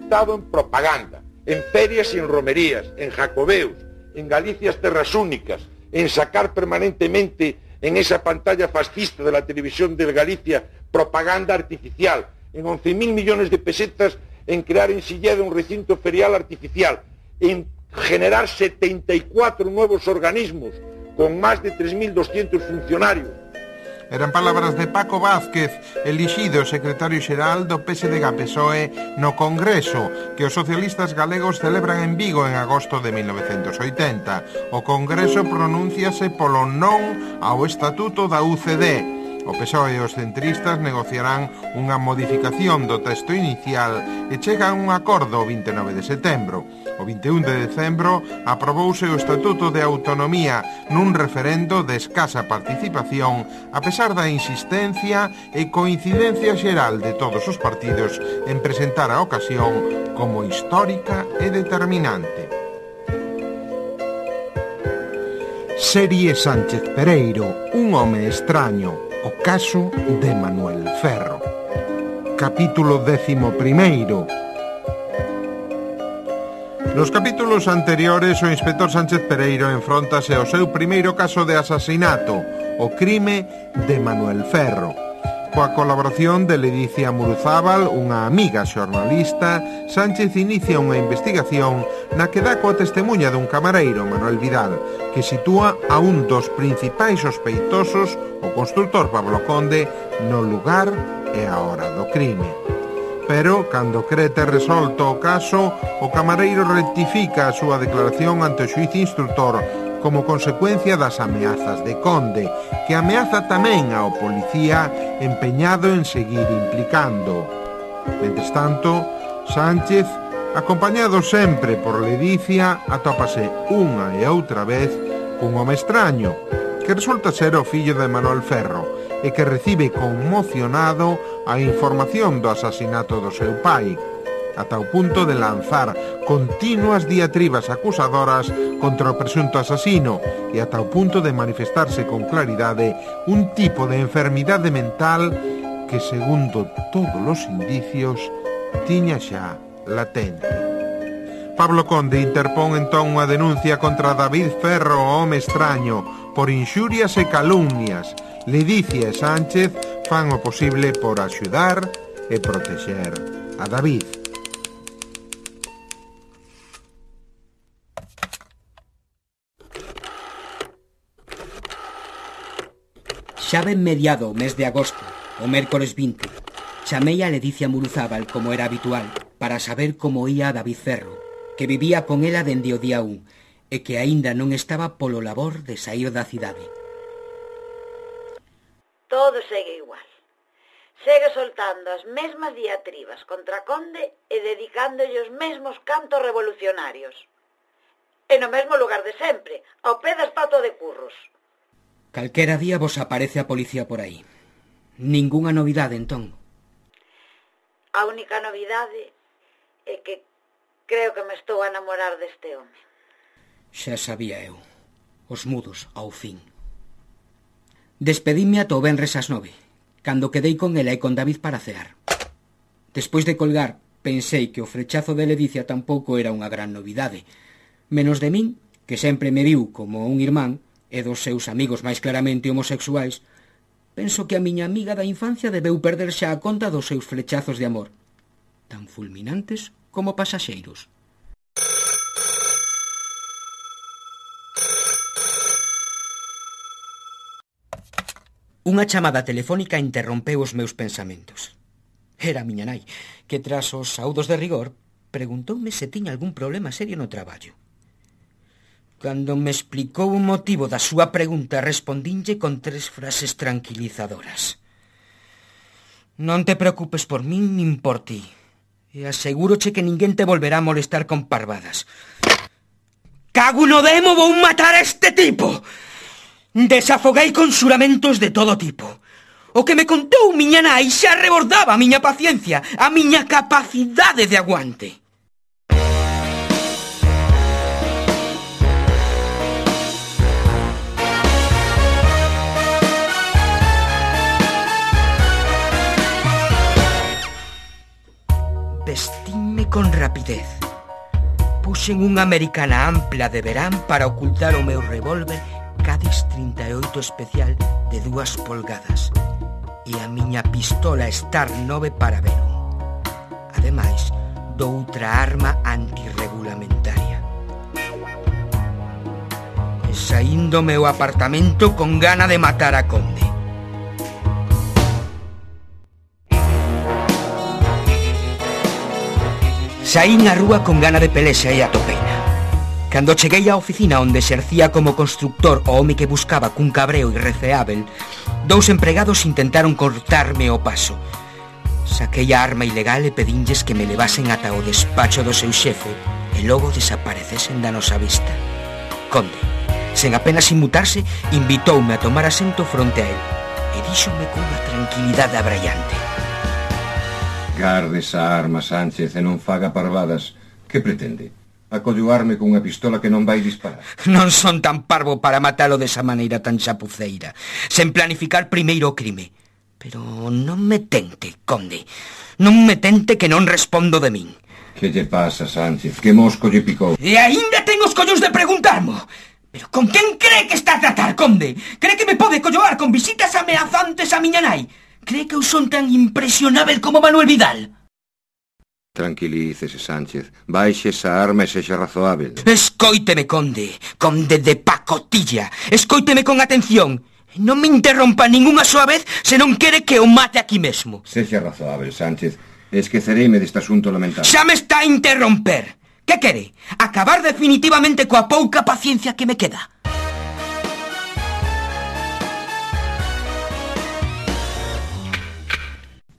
Estado en propaganda, en ferias y en romerías, en jacobeos, en Galicias terras únicas, en sacar permanentemente en esa pantalla fascista de la televisión de Galicia propaganda artificial, en 11.000 millones de pesetas en crear en Silleda un recinto ferial artificial, en generar 74 nuevos organismos con más de 3.200 funcionarios. Eran palabras de Paco Vázquez, elixido secretario xeral do PSDG-PSOE no Congreso que os socialistas galegos celebran en Vigo en agosto de 1980. O Congreso pronúnciase polo non ao Estatuto da UCD. O PSOE e os centristas negociarán unha modificación do texto inicial e chegan a un acordo o 29 de setembro. O 21 de decembro aprobouse o Estatuto de Autonomía nun referendo de escasa participación a pesar da insistencia e coincidencia xeral de todos os partidos en presentar a ocasión como histórica e determinante. Serie Sánchez Pereiro, un home extraño. O caso de Manuel Ferro. Capítulo 11. Nos capítulos anteriores, o inspector Sánchez Pereiro enfróntase ao seu primeiro caso de asasinato, o crime de Manuel Ferro. Coa colaboración de Ledicia Muruzábal, unha amiga xornalista, Sánchez inicia unha investigación na que dá coa testemuña dun camareiro, Manuel Vidal, que sitúa a un dos principais sospeitosos, o constructor Pablo Conde, no lugar e a hora do crime. Pero, cando cree ter resolto o caso, o camareiro rectifica a súa declaración ante o xuíz instructor como consecuencia das ameazas de Conde, que ameaza tamén ao policía empeñado en seguir implicando. Mentres tanto, Sánchez, acompañado sempre por Ledicia, atópase unha e outra vez cun home extraño, que resulta ser o fillo de Manuel Ferro e que recibe conmocionado a información do asasinato do seu pai, ata o punto de lanzar continuas diatribas acusadoras contra o presunto asasino e ata o punto de manifestarse con claridade un tipo de enfermidade mental que, segundo todos os indicios, tiña xa latente. Pablo Conde interpón entón unha denuncia contra David Ferro, o home extraño, por inxurias e calumnias. Ledicia e Sánchez fan o posible por axudar e protexer a David. Xa ben mediado o mes de agosto, o mércores 20, chamei a Ledicia Muruzábal, como era habitual, para saber como ía a David Ferro, que vivía con ela dende o día 1 e que aínda non estaba polo labor de saír da cidade. Todo segue igual. Segue soltando as mesmas diatribas contra Conde e dedicándolle os mesmos cantos revolucionarios. E no mesmo lugar de sempre, ao pé da estatua de Curros. Calquera día vos aparece a policía por aí. Ningunha novidade, entón? A única novidade é que creo que me estou a namorar deste home. Xa sabía eu. Os mudos, ao fin. Despedíme ata o venres ás 9, cando quedei con ela e con David para cear. Despois de colgar, pensei que o frechazo de Ledicia tampouco era unha gran novidade. Menos de min, que sempre me viu como un irmán, e dos seus amigos máis claramente homosexuais, penso que a miña amiga da infancia debeu perder xa a conta dos seus flechazos de amor, tan fulminantes como pasaxeiros. Unha chamada telefónica interrompeu os meus pensamentos. Era a miña nai, que tras os saúdos de rigor preguntoume se tiña algún problema serio no traballo. Cando me explicou o motivo da súa pregunta, respondínlle con 3 frases tranquilizadoras. Non te preocupes por min nin por ti, e asegúroche que ninguén te volverá a molestar con parvadas. Cago no demo, vou matar a este tipo! Desafoguei con xuramentos de todo tipo. O que me contou miña nai xa rebordaba a miña paciencia, a miña capacidade de aguante. con rapidez. Puxen unha americana ampla de verán para ocultar o meu revólver Cádiz 38 especial de 2 polgadas e a miña pistola Star 9 para verón. Ademais, doutra arma antirregulamentaria. E saín do meu apartamento con gana de matar a Conde. Saín á rúa con gana de pelexa e atopeina. Cando cheguei á oficina onde exercía como constructor o home que buscaba cun cabreo irrefeável, 2 empregados intentaron cortarme o paso. Saquei a arma ilegal e pedinlles que me levasen ata o despacho do seu xefe e logo desaparecesen da nosa vista. Conde, sen apenas inmutarse, invitoume a tomar asento fronte a él e díxome con unha tranquilidade abraiante: Garde esa arma, Sánchez, e non faga parvadas. Que pretende? Acolloarme cunha pistola que non vai disparar? Non son tan parvo para matalo desa maneira tan chapuceira, sen planificar primeiro o crime. Pero non me tente, Conde. Non me tente que non respondo de min. Que lle pasa, Sánchez? Que mosco lle picou? E aínda ten os collóns de preguntarmo. Pero con quen cree que está a tratar, Conde? Cree que me pode colloar con visitas ameazantes a miña nai? Cree que eu son tan impresionável como Manuel Vidal? Tranquilícese, Sánchez. Baixe esa arma e sexa razoável. Escóiteme, Conde. Conde de pacotilla. Escóiteme con atención. Non me interrompa ningunha soa vez se non quere que o mate aquí mesmo. Sexa razoável, Sánchez. Esquecereime deste asunto lamentable. Xa me está a interromper. Que quere? Acabar definitivamente coa pouca paciencia que me queda.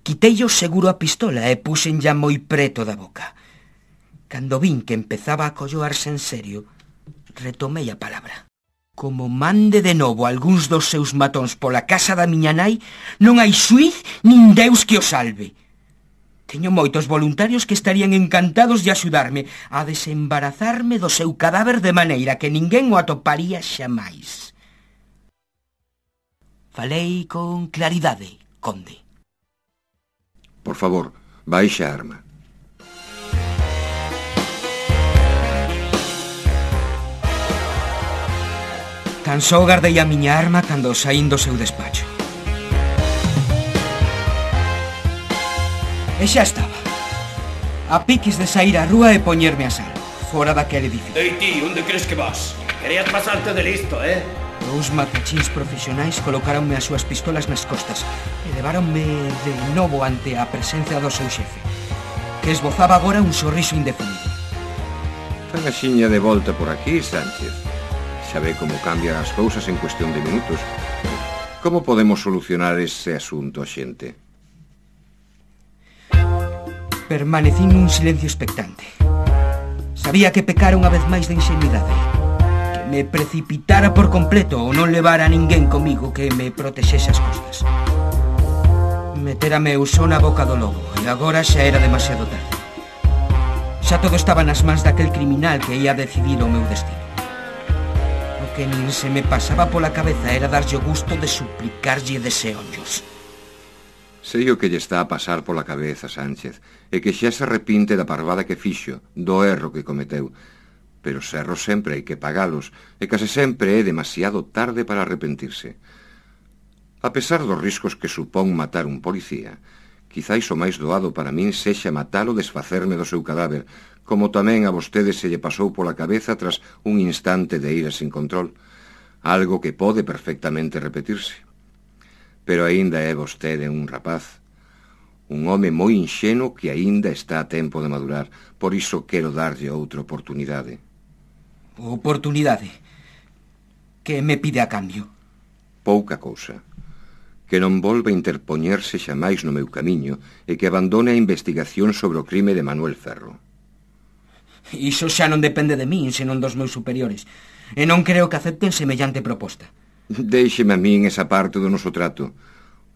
Quitei o seguro a pistola e puxen ya moi preto da boca. Cando vin que empezaba a colloarse en serio, retomei a palabra. Como mande de novo algúns dos seus matóns pola casa da miña nai, non hai xuiz nin Deus que o salve. Teño moitos voluntarios que estarían encantados de axudarme a desembarazarme do seu cadáver de maneira que ninguén o atoparía xamais. Falei con claridade, Conde. Por favor, baixe a arma. Tan só guardei a miña arma cando saín do seu despacho. E xa estaba. A piques de sair á rúa e poñerme a salvo, fora daquele edificio. Ei ti, onde crees que vas? Querías pasarte de listo, eh? 2 matachíns profesionais colocáronme as súas pistolas nas costas e leváronme de novo ante a presencia do seu xefe, que esbozaba agora un sorriso indefinido. Fan a xiña de volta por aquí, Sánchez. Xa ve como cambian as cousas en cuestión de minutos. Como podemos solucionar ese asunto, xente? Permanecín nun silencio expectante. Sabía que pecara unha vez máis de inxenuidade, que me precipitara por completo ou non levara a ninguén comigo que me protexese as costas. Metérame eu só na boca do lobo e agora xa era demasiado tarde. Xa todo estaba nas mans daquel criminal que ia decidir o meu destino. O que nin se me pasaba pola cabeza era darlle o gusto de suplicarlle deseollos. Sei o que lle está a pasar pola cabeza, Sánchez, e que xa se arrepinte da parvada que fixo, do erro que cometeu. Pero os erros sempre hai que pagalos, e case sempre é demasiado tarde para arrepentirse. A pesar dos riscos que supón matar un policía, quizáis o máis doado para min sexa matalo desfacerme do seu cadáver, como tamén a vostede se lle pasou pola cabeza tras un instante de ira sin control, algo que pode perfectamente repetirse. Pero aínda é vostede un rapaz, un home moi inxenuo que aínda está a tempo de madurar, por iso quero darlle outra oportunidade. Oportunidade? Que me pide a cambio? Pouca cousa. Que non volva a interpoñerse xamais no meu camiño e que abandone a investigación sobre o crime de Manuel Ferro. Iso xa non depende de min, senón dos meus superiores, e non creo que acepten semellante proposta. Déixeme a min esa parte do noso trato.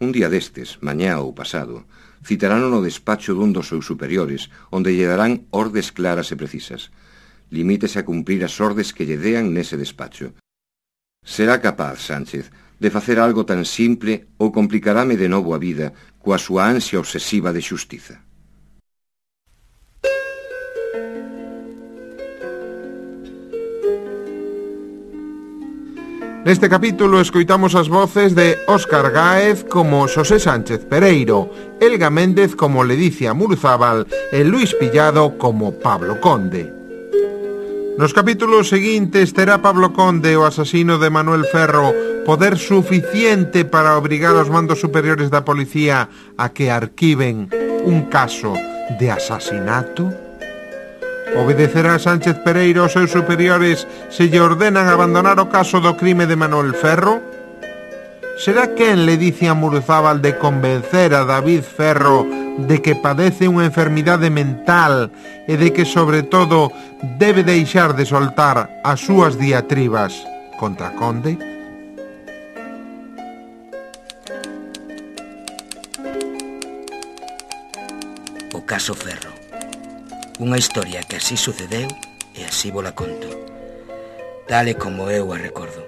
Un día destes, mañá ou pasado, citarán no despacho dun dos seus superiores, onde lle darán ordes claras e precisas. Limítese a cumprir as ordes que lle dean nese despacho. Será capaz, Sánchez, de facer algo tan simple ou complicarame de novo a vida coa súa ansia obsesiva de xustiza. Neste capítulo escoitamos as voces de Óscar Gáez como Xosé Sánchez Pereiro, Elga Méndez como Ledicia Muruzábal e Luis Pillado como Pablo Conde. Nos capítulos seguintes terá Pablo Conde, o asasino de Manuel Ferro, poder suficiente para obrigar aos mandos superiores da policía a que arquiven un caso de asasinato? Obedecerá Sánchez Pereiro aos seus superiores se lle ordenan abandonar o caso do crime de Manuel Ferro? Será quen Ledicia Muruzábal de convencer a David Ferro de que padece unha enfermidade mental e de que, sobre todo, debe deixar de soltar as súas diatribas contra Conde? O caso Ferro. Unha historia que así sucedeu e así vola conto, tal e como eu a recordo.